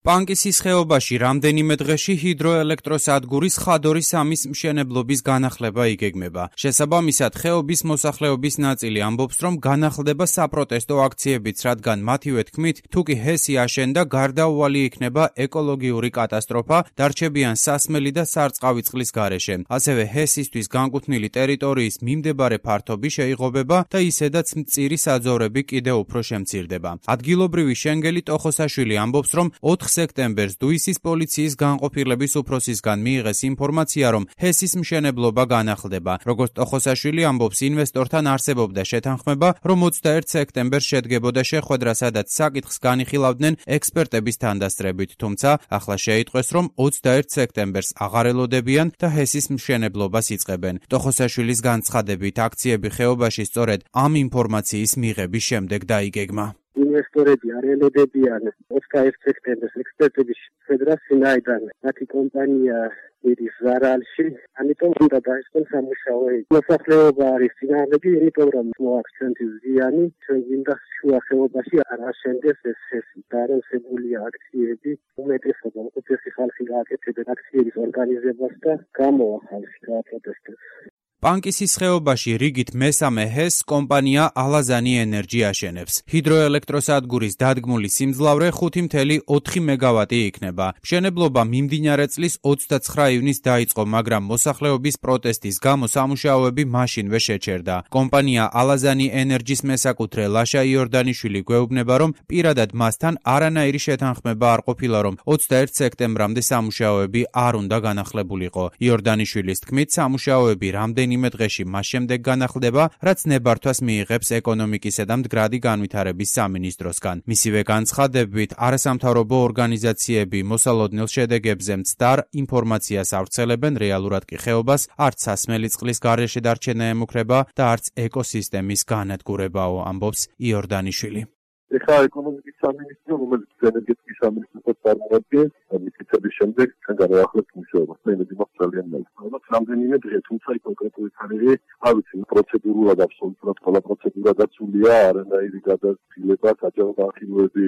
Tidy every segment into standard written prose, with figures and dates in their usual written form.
პანკისის ხეობაში რამდენიმე დღეში ჰიდროელექტროსადგურის ხადორის 3-ის მშენებლობის განახლება იგეგმება. შესაბამისად, ხეობის მოსახლეობის ნაწილი ამბობს, რომ განახლდება საპროტესტო აქციებიც, რადგან მათივე თქმით, თუკი ჰესი აშენდა, გარდაუვალი იქნება ეკოლოგიური კატასტროფა, დარჩებიან სასმელი და სარწყავი წყლის გარეშე. ასევე ჰესისთვის განკუთვნილი ტერიტორიის მიმდებარე ფართობი შეიღობება და ისედაც მწირი საძოვრები კიდევ უფრო შემცირდება. ადგილობრივი შენგელი ტოხოსაშვილი ამბობს, რომ 4 სექტემბერს დუისის პოლიციის განყოფილების უფროსისგან მიიღეს ინფორმაცია, რომ ჰესის მშენებლობა განახლდება. როგორც ტოხოსაშვილი ამბობს, ინვესტორთან არსებობდა შეთანხმება, რომ 21 სექტემბერს შედგებოდა შეხვედრა, სადაც საკითხს განიხილავდნენ ექსპერტების თანდასწრებით, თუმცა ახლა შეიტყვეს, რომ 21 სექტემბერს აღარ ელოდებიან და ჰესის მშენებლობას იწყებენ. ტოხოსაშვილის განცხადებით, აქციები ხეობაში სწორედ ამ ინფორმაციის მიღების შემდეგ დაიგეგმა. ინვესტორები არ ელოდებიან 21 სექტემბერს ექსპერტების შეხვედრას, ვინაიდან მათი კომპანია მიდის ზარალში, ამიტომ უნდა დაიწყოს სამუშაო. მოსახლეობა არის წინააღმდეგი, იმიტომ რომ მოაქვს ჩვენთვის ზიანი, ჩვენ გვინდა შუა ხეობაში არ აშენდეს ეს ჰესი. დაარსებულია აქციები, უმეტესობა უცხოესი ხალხი გააკეთებენ აქციების ორგანიზებას და გამოახალს პროტესტებს. პანკისის ხეობაში რიგით მესამე ჰესს კომპანია ალაზანი ენერჯი აშენებს. ჰიდროელექტროსადგურის დადგმული სიმძლავრე 5.4 მეგავატი იქნება. მშენებლობა მიმდინარე წლის 29 ივნისს დაიწყო, მაგრამ მოსახლეობის პროტესტის გამო სამუშაოები მაშინვე შეჩერდა. კომპანია ალაზანი ენერჯის მესაკუთრე ლაშა იორდანიშვილი გვეუბნება, რომ პირადად მასთან არანაირი შეთანხმება არ ყოფილა, რომ 21 სექტემბრამდე სამუშაოები არ უნდა განახლებულიყო. იორდანიშვილის თქმით, სამუშაოები რამდენიმე დღეში მას შემდეგ განახლდება, რაც ნებართვას მიიღებს ეკონომიკისა და მდგრადი განვითარების სამინისტროსგან. მისივე განცხადებით, არასამთავრობო ორგანიზაციები მოსალოდნელ შედეგებზე მცდარ ინფორმაციას ავრცელებენ, რეალურად კი ხეობას არც სასმელი წყლის გარეშე დარჩენა ემუქრება და არც ეკოსისტემის განადგურებაო, ამბობს იორდანიშვილი. ეხლა ეკონომიკის სამინისტრო, რომელიც ენერგეტიკის სამინისტროს წარმოადგენს, მიწების შემდეგ ჩვენ განვაახლებთ მუშაობას. მე იმედი მაქვს ძალიან ნაკლად. რამდენიმე დღე, თუმცა კონკრეტული თარიღი, არ ვიცი, პროცედურულად აბსოლუტურად ყველა პროცედურა დაცულია, არანაირი გადაწილება, საჯარო განხილვები,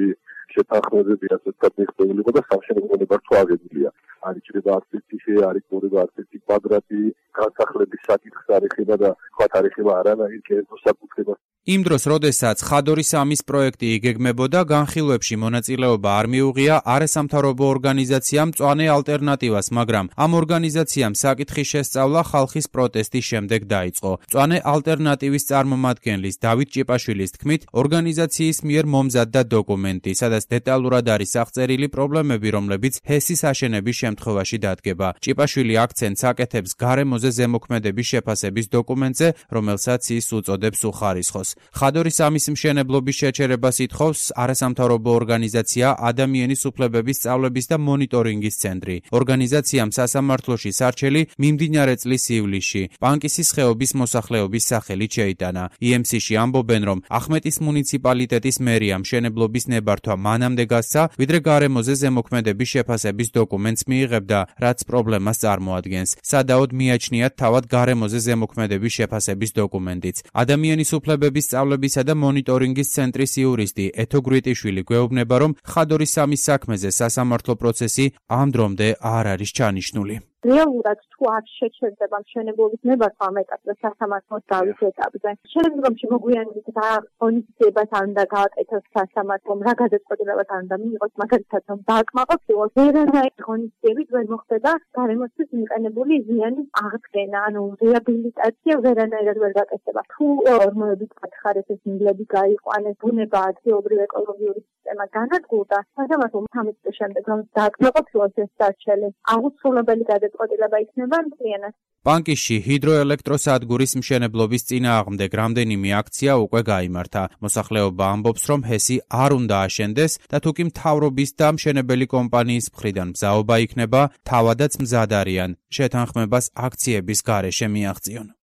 შეთანხმებები ასეთად მიღწეულიყო და სამშენებლო ნებართვა აღებულია. არ იჭრება არც ერთი ხე, არ იჭრება არც ერთი კვადრატი, განსახლების საკითხს არ ეხება და სხვა არ ეხება არანაირ კერძო საკუთრებას. იმ დროს, როდესაც ხადორის 3-ის პროექტი იგეგმებოდა, განხილვებში მონაწილეობა არ მიუღია არასამთავრობო ორგანიზაციამ მწვანე ალტერნატივას, მაგრამ ამ ორგანიზაციამ საკითხის შესწავლა ხალხის პროტესტის შემდეგ დაიწყო. მწვანე ალტერნატივის წარმომადგენლის დავით ჭიპაშვილის თქმით, ორგანიზაციის მიერ მომზადდა დოკუმენტი, სადაც დეტალურად არის აღწერილი პრობლემები, რომლებიც ჰესის აშენების შემთხვევაში დადგება. ჭიპაშვილი აქცენტს აკეთებს გარემოზე ზემოქმედების შეფასების დოკუმენტზე, რომელსაც ის უწოდებს უხარისხოს. ხადორის 3-ის მშენებლობის შეჩერებას ითხოვს არასამთავრობო ორგანიზაცია ადამიანის უფლებების სწავლების და მონიტორინგის ცენტრი. ორგანიზაციამ სასამართლოში სარჩელი მიმდინარე წლის ივლისში პანკისის ხეობის მოსახლეობის სახელით შეიტანა. EMC-ში ამბობენ, რომ ახმეტის მუნიციპალიტეტის მერია მშენებლობის ნებართვა მანამდე გასცა, ვიდრე გარემოზე ზემოქმედების შეფასების დოკუმენტს მიიღებდა, რაც პრობლემას წარმოადგენს. სადაოდ მიაჩნიათ თავად გარემოზე ზემოქმედების შეფასების დოკუმენტიც. ადამიანის უფლებების სწავლებისა და მონიტორინგის ცენტრის იურისტი ეთო გვიტიშვილი გვეუბნება, რომ ხადორის 3-ის საქმეზე სასამართლო პროცესი ამ დრომდე არ არის ჩანიშნული. რეალურად თუ არ შეჩერდება მშენებლობის ნებართვა ამ ეტაპზე სასამართლოს დავის ეტაპზე. შემდგომში მოგვიანებით რა ღონისძიებას არ უნდა გააკეთოს სასამართლომ, რა გადაწყვეტილებაც არ უნდა მიიღოს, მაგალითად რომ დააკმაყოფილოს, ვერანაირი ღონისძიებით ვერ მოხდება გარემოსთვის მიყენებული ზიანის აღდგენა, ანუ რეაბილიტაცია ვერანაირად ვერ გაკეთდება. თუ ორმოებით გათხარეს ეს მილები გაიყვანეს, ბუნება ადგილობრივ ეკოლოგიური სისტემა განადგურდა, სასამართლომ 13 წლის შემდეგ რომ დააკმაყოფილოს ეს სარჩელი, აუცილებელი გადაწყვეტილება იქნება მთლიანად. პანკისში ჰიდროელექტროსადგურის მშენებლობის წინააღმდეგ რამდენიმე აქცია უკვე გაიმართა. მოსახლეობა ამბობს, რომ ჰესი არ უნდა აშენდეს და თუკი მთავრობის და მშენებელი კომპანიის მხრიდან მზაობა იქნება, თავადაც მზად არიან შეთანხმებას აქციების გარეშე მიაღწიონ.